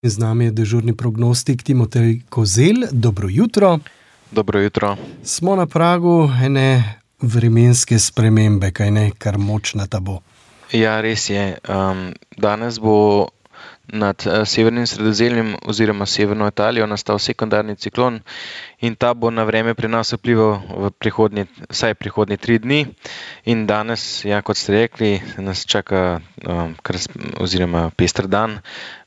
Z nami je dežurni prognostik Timotej Kozelj. Dobro jutro. Dobro jutro. Smo na pragu ene vremenske spremembe, kaj ne, kar močna ta bo. Ja, res je. Danes bo nad severnim Sredozemljem oziroma severno Italijo nastal sekundarni ciklon in ta bo na vreme pri nas vplival vsaj prihodnje 3 dni. In danes, ja, kot ste rekli, nas čaka pester dan.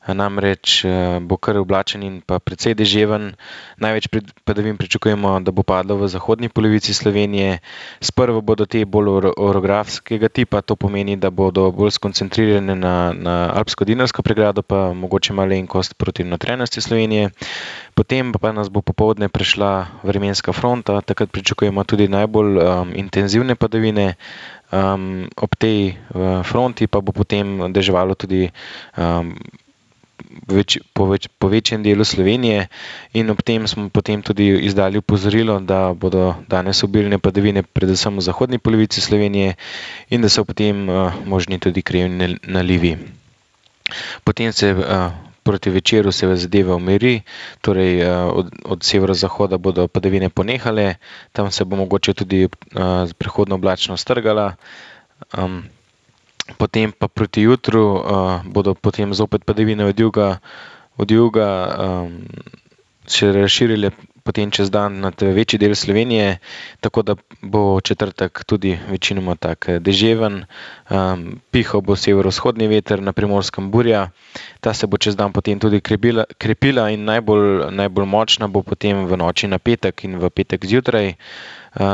Namreč bo kar oblačen in pa precej deževen. Največ padavin pričakujemo, da bo padlo v zahodni polovici Slovenije. Sprva bodo te bolj orografskega tipa, to pomeni, da bodo bolj skoncentrirane na alpsko-dinarsko pregrado, pa mogoče malenkost proti notranjosti Slovenije. Potem pa nas bo popoldne prešla vremenska fronta, takrat pričakujemo tudi najbolj intenzivne padavine. Ob tej fronti pa bo potem deževalo tudi po večjem delu Slovenije in ob tem smo potem tudi izdali opozorilo, da bodo danes obilne padavine predvsem v zahodni polovici Slovenije in da so potem možni tudi krajevni nalivi. Potem proti večeru se zadeva umiri, torej od severozahoda bodo padavine ponehale, tam se bo mogoče tudi prehodno oblačno strgala. Potem pa proti jutru bodo potem zopet padavine od juga še razširile potem čez dan nad večji del Slovenije, tako da bo četrtek tudi večinoma tak deževen. Pihal bo severovzhodni veter, na Primorskem burja. Ta se bo čez dan potem tudi krepila in najbolj močna bo potem v noči na petek in v petek zjutraj.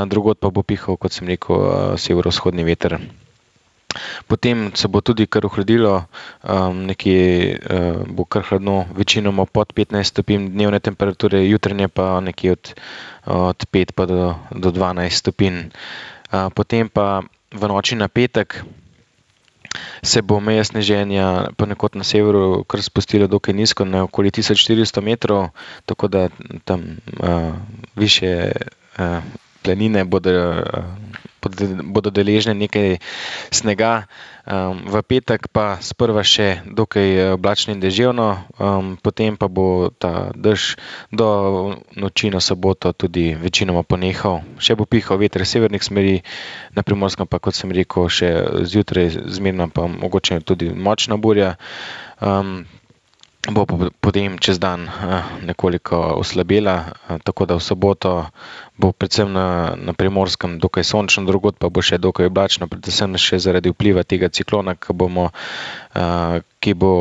Drugod pa bo pihal, kot sem rekel, severovzhodni veter. Potem se bo tudi kar ohladilo, nekje bo kar hladno, večinoma pod 15 stopinj dnevne temperature, jutranje pa nekje od 5 pa do 12 stopinj. Potem pa v noči na petek se bo meja sneženja ponekod na severu kar spustila dokaj nizko, na okoli 1400 metrov, tako da tam višje planine bodo deležne nekaj snega. V petek pa sprva še dokaj oblačno in deževno, potem pa bo ta dež do noči na soboto tudi večinoma ponehal. Še bo pihal veter severnih smeri, na Primorskem pa, kot sem rekel, še zjutraj zmerna pa mogoče tudi močna burja. Bo potem čez dan nekoliko oslabela, tako da v soboto bo predvsem na Primorskem dokaj sončno, drugod pa bo še dokaj oblačno, predvsem še zaradi vpliva tega ciklona, ki bo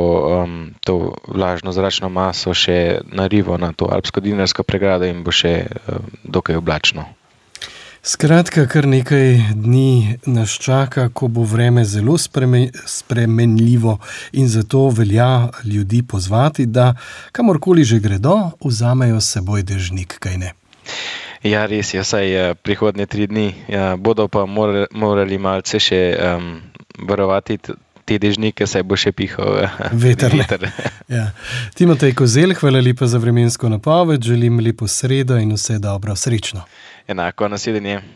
to vlažno zračno maso še narival na to alpsko-dinarsko pregrado in bo še dokaj oblačno. Skratka, kar nekaj dni nas čaka, ko bo vreme zelo spremenljivo in zato velja ljudi pozvati, da kamorkoli že gredo, vzamejo s seboj dežnik, kaj ne? Ja, res je, vsaj prihodnje 3 dni. Bodo pa morali malce še varovati te dežnike, saj bo še pihal veter. Ja. Timotej Kozelj, hvala lepa za vremensko napoved, želim lepo sredo in vse dobro, srečno. Enako, nasvidenje.